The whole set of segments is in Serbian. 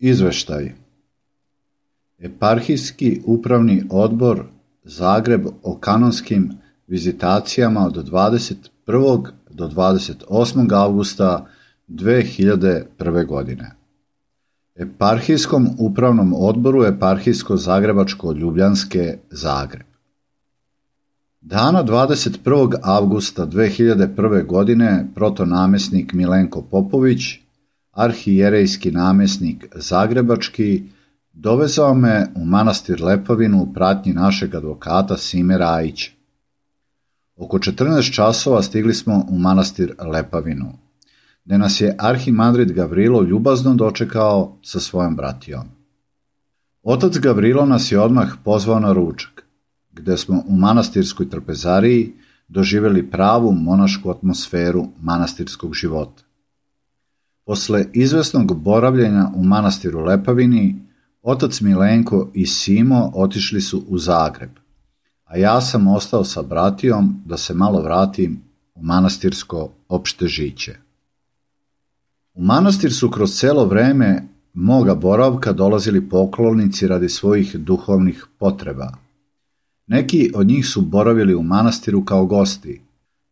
Izveštaj. Eparhijski upravni odbor Zagreb o kanonskim vizitacijama od 21. do 28. avgusta 2001. godine. Eparhijskom upravnom odboru Eparhijsko-zagrebačko-ljubljanske Zagreb. Dana 21. avgusta 2001. godine protonamjesnik Milenko Popović, arhijerejski namjesnik Zagrebački, dovezao me u manastir Lepavinu u pratnji našeg advokata Sime Rajića. Oko 14 časova stigli smo u manastir Lepavinu, gdje nas je arhimandrit Gavrilo ljubazno dočekao sa svojom bratijom. Otac Gavrilo nas je odmah pozvao na ručak, gdje smo u manastirskoj trpezariji doživjeli pravu monašku atmosferu manastirskog života. Posle izvesnog boravljenja u manastiru Lepavini, otac Milenko i Simo otišli su u Zagreb, a ja sam ostao sa bratijom da se malo vratim u manastirsko opšte žiće. U manastir su kroz celo vreme moga boravka dolazili poklonici radi svojih duhovnih potreba. Neki od njih su boravili u manastiru kao gosti.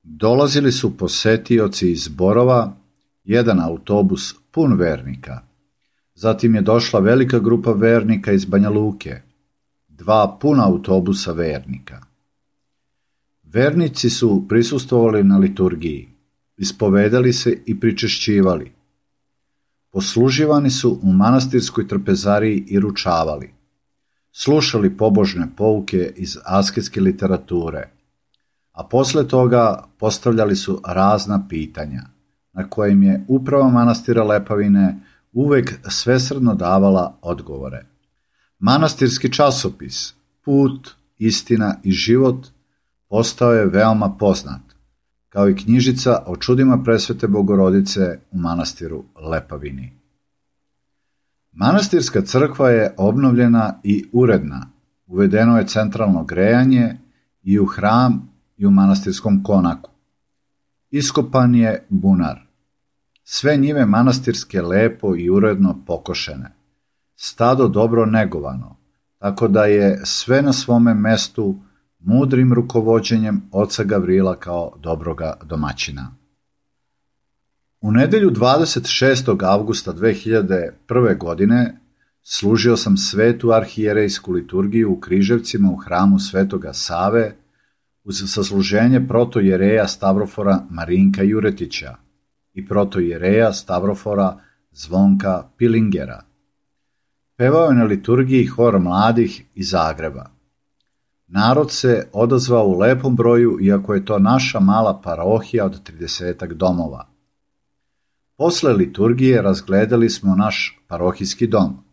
Dolazili su posetioci iz Borova, jedan autobus pun vernika. Zatim je došla velika grupa vernika iz Banja Luke, 2 puna autobusa vernika. Vernici su prisustvovali na liturgiji, ispovedali se i pričešćivali. Posluživani su u manastirskoj trpezariji i ručavali. Slušali pobožne pouke iz asketske literature, a posle toga postavljali su razna pitanja, na kojim je uprava manastira Lepavine uvek svesrdno davala odgovore. Manastirski časopis Put, istina i život postao je veoma poznat, kao i knjižica o čudima presvete Bogorodice u manastiru Lepavini. Manastirska crkva je obnovljena i uredna, uvedeno je centralno grejanje i u hram i u manastirskom konaku. Iskopan je bunar. Sve njive manastirske lepo i uredno pokošene. Stado dobro negovano, tako da je sve na svome mestu mudrim rukovođenjem oca Gavrila kao dobroga domaćina. U nedelju 26. avgusta 2001. godine služio sam svetu arhijerejsku liturgiju u Križevcima u hramu Svetoga Save uz sasluženje protojereja Stavrofora Marinka Juretića i protojereja Stavrofora Zvonka Pilingera. Pevao je na liturgiji hor mladih iz Zagreba. Narod se odazvao u lepom broju, iako je to naša mala parohija od 30 domova. Posle liturgije razgledali smo naš parohijski dom,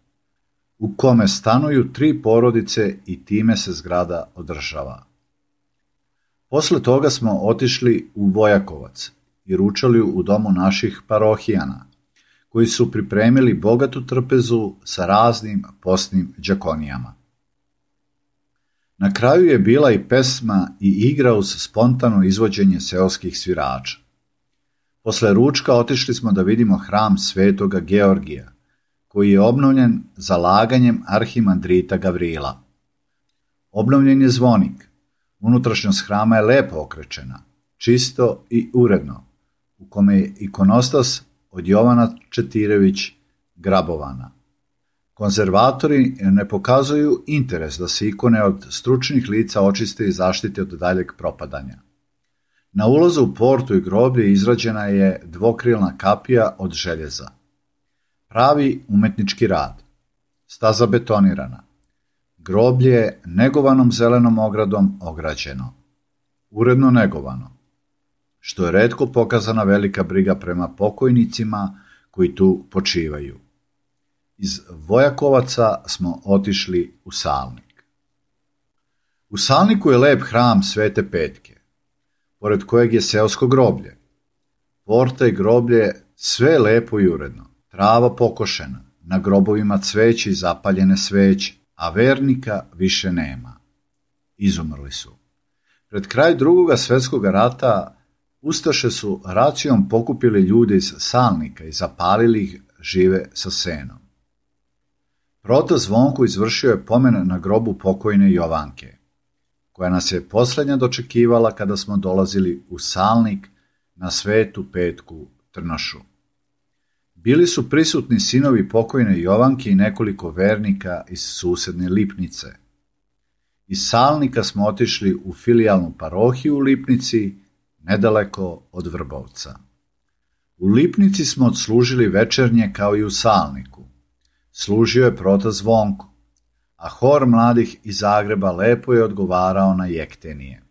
u kome stanuju 3 porodice i time se zgrada održava. Posle toga smo otišli u Vojakovac i ručali u domu naših parohijana, koji su pripremili bogatu trpezu sa raznim postnim đakonijama. Na kraju je bila i pesma i igra uz spontano izvođenje seoskih svirača. Posle ručka otišli smo da vidimo hram Svetoga Georgija, koji je obnovljen zalaganjem arhimandrita Gavrila. Obnovljen je zvonik. Unutrašnjost hrama je lepo okrečena, čisto i uredno, u kome je ikonostas od Jovana Četirević grabovana. Konzervatori ne pokazuju interes da se ikone od stručnih lica očiste i zaštite od daljeg propadanja. Na ulazu u portu i groblje izrađena je dvokrilna kapija od željeza. Pravi umetnički rad. Staza betonirana. Groblje negovanom zelenom ogradom ograđeno. Uredno negovano, što je retko pokazana velika briga prema pokojnicima koji tu počivaju. Iz Vojakovaca smo otišli u Salnik. U Salniku je lep hram Svete Petke, pored kojeg je seosko groblje. Porta i groblje sve je lepo i uredno, trava pokošena, na grobovima cveće i zapaljene sveće, a vernika više nema. Izumrli su. Pred kraj Drugog svjetskog rata ustaše su racijom pokupili ljude iz Salnika i zapalili ih žive sa senom. Proto Zvonko izvršio je pomen na grobu pokojne Jovanke, koja nas je posljednja dočekivala kada smo dolazili u Salnik na Svetu Petku Trnošu. Bili su prisutni sinovi pokojne Jovanke i nekoliko vernika iz susedne Lipnice. Iz Salnika smo otišli u filijalnu parohiju u Lipnici, nedaleko od Vrbovca. U Lipnici smo odslužili večernje kao i u Salniku. Služio je prota Zvonko, a hor mladih iz Zagreba lepo je odgovarao na jektenije.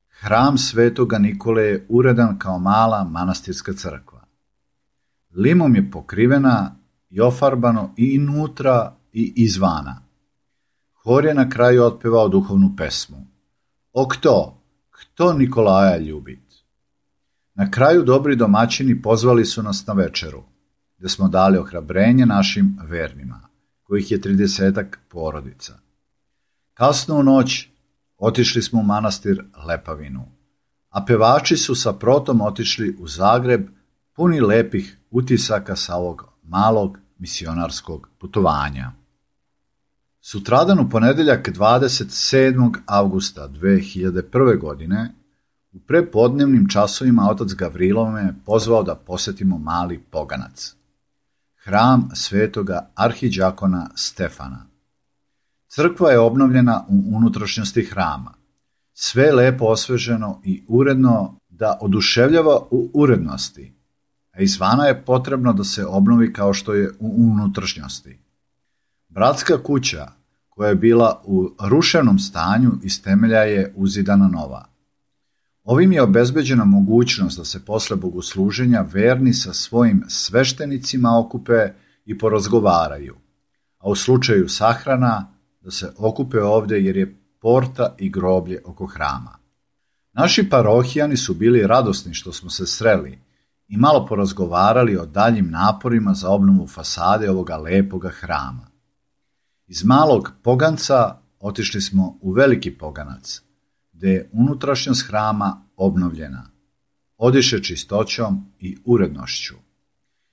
Hram Svetoga Nikole je uredan kao mala manastirska crkva. Limom je pokrivena i ofarbano i inutra i izvana. Hor je na kraju otpevao duhovnu pesmu. O kto Nikolaja ljubit? Na kraju dobri domaćini pozvali su nas na večeru, gdje smo dali ohrabrenje našim vernima, kojih je 30 porodica. Kasno u noć otišli smo u manastir Lepavinu, a pevači su sa protom otišli u Zagreb puni lepih utisaka sa ovog malog misionarskog putovanja. Sutradan u ponedjeljak 27. avgusta 2001. godine u prepodnevnim časovima otac Gavrilo me pozvao da posjetimo Mali Poganac, hram svetoga arhidžakona Stefana. Crkva je obnovljena u unutrašnjosti hrama. Sve je lepo osveženo i uredno da oduševljava u urednosti, a izvana je potrebno da se obnovi kao što je u unutrašnjosti. Bratska kuća, koja je bila u ruševnom stanju, iz temelja je uzidana nova. Ovim je obezbeđena mogućnost da se posle bogosluženja verni sa svojim sveštenicima okupe i porazgovaraju, a u slučaju sahrana da se okupe ovdje jer je porta i groblje oko hrama. Naši parohijani su bili radosni što smo se sreli i malo porazgovarali o daljim naporima za obnovu fasade ovoga lepoga hrama. Iz Malog Poganca otišli smo u Veliki Poganac, gdje je unutrašnjost hrama obnovljena, odiše čistoćom i urednošću.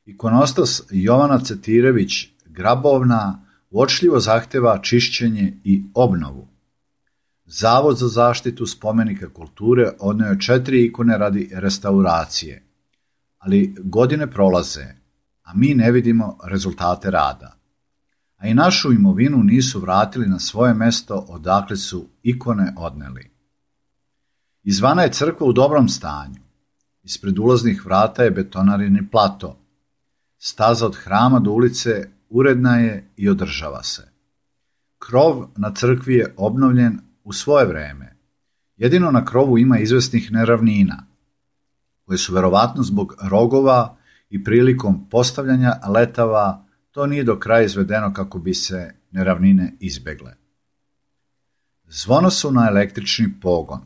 Ikonostas Jovana Cetirević Grabovna uočljivo zahteva čišćenje i obnovu. Zavod za zaštitu spomenika kulture odneo je 4 ikone radi restauracije, ali godine prolaze, a mi ne vidimo rezultate rada. A i našu imovinu nisu vratili na svoje mesto odakle su ikone odneli. Izvana je crkva u dobrom stanju. Ispred ulaznih vrata je betonarini plato. Staza od hrama do ulice uredna je i održava se. Krov na crkvi je obnovljen u svoje vreme. Jedino na krovu ima izvesnih neravnina, koje su verovatno zbog rogova i prilikom postavljanja letava to nije do kraja izvedeno kako bi se neravnine izbegle. Zvono su na električni pogon.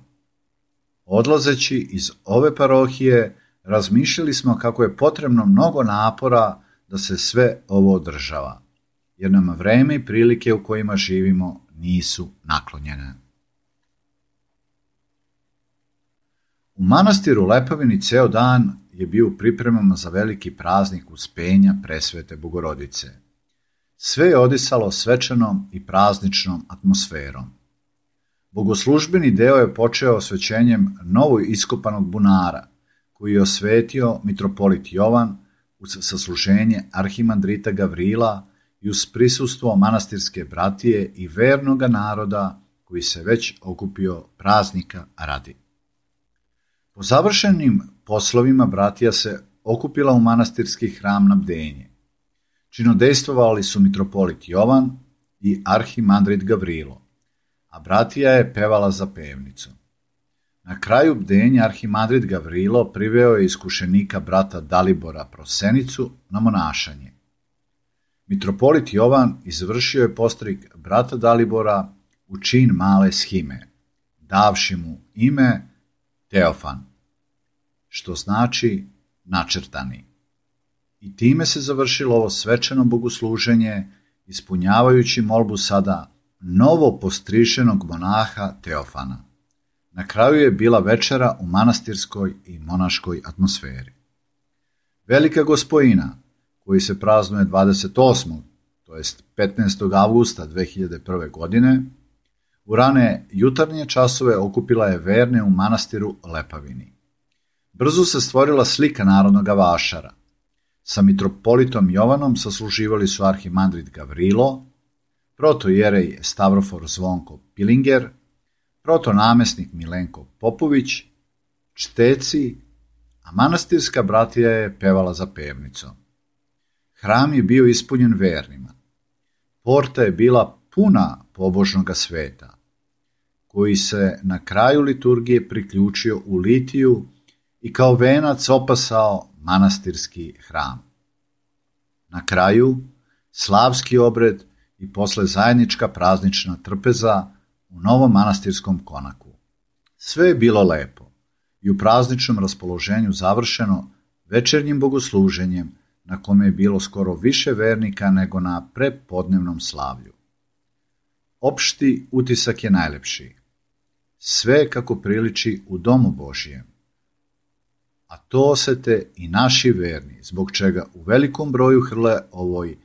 Odlazeći iz ove parohije, razmišljali smo kako je potrebno mnogo napora da se sve ovo održava, jer nam vreme i prilike u kojima živimo nisu naklonjene. U manastiru Lepavini ceo dan je bio u pripremama za veliki praznik Uspenja Presvete Bogorodice. Sve je odisalo svečanom i prazničnom atmosferom. Bogoslužbeni deo je počeo osvećenjem novo iskopanog bunara, koji je osvetio mitropolit Jovan uz sasluženje arhimandrita Gavrila i uz prisustvo manastirske bratije i vernoga naroda koji se već okupio praznika radi. Po završenim poslovima bratija se okupila u manastirski hram na bdenje. Činodejstvovali su mitropolit Jovan i arhimandrit Gavrilo, a bratija je pevala za pevnicom. Na kraju bdenja arhimandrit Gavrilo priveo je iskušenika brata Dalibora Prosenicu na monašanje. Mitropolit Jovan izvršio je postrig brata Dalibora u čin male shime, davši mu ime Teofan, što znači načrtani. I time se završilo ovo svečano bogosluženje, ispunjavajući molbu sada novo postrišenog monaha Teofana. Na kraju je bila večera u manastirskoj i monaškoj atmosferi. Velika Gospojina, koji se praznuje 28. to jest 15. avgusta 2001. godine, u rane jutarnje časove okupila je verne u manastiru Lepavini. Brzo se stvorila slika narodnog vašara. Sa mitropolitom Jovanom sasluživali su arhimandrit Gavrilo, protojerej Stavrofor Zvonko Pilinger, protonamesnik Milenko Popović, čteci, a manastirska bratija je pevala za pevnicom. Hram je bio ispunjen vernima. Porta je bila puna pobožnoga sveta, koji se na kraju liturgije priključio u litiju i kao venac opasao manastirski hram. Na kraju, slavski obred i posle zajednička praznična trpeza u novom manastirskom konaku. Sve je bilo lepo i u prazničnom raspoloženju završeno večernjim bogosluženjem na kome je bilo skoro više vernika nego na prepodnevnom slavlju. Opšti utisak je najlepši. Sve kako priliči u domu Božijem. A to osete i naši verni, zbog čega u velikom broju hrle ovoj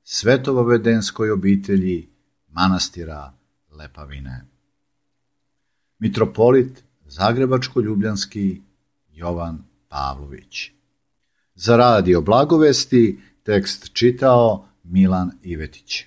svetovavedenskoj obitelji manastira Lepavine. Mitropolit Zagrebačko-ljubljanski Jovan Pavlović. Za Radio Blagovesti tekst čitao Milan Ivetić.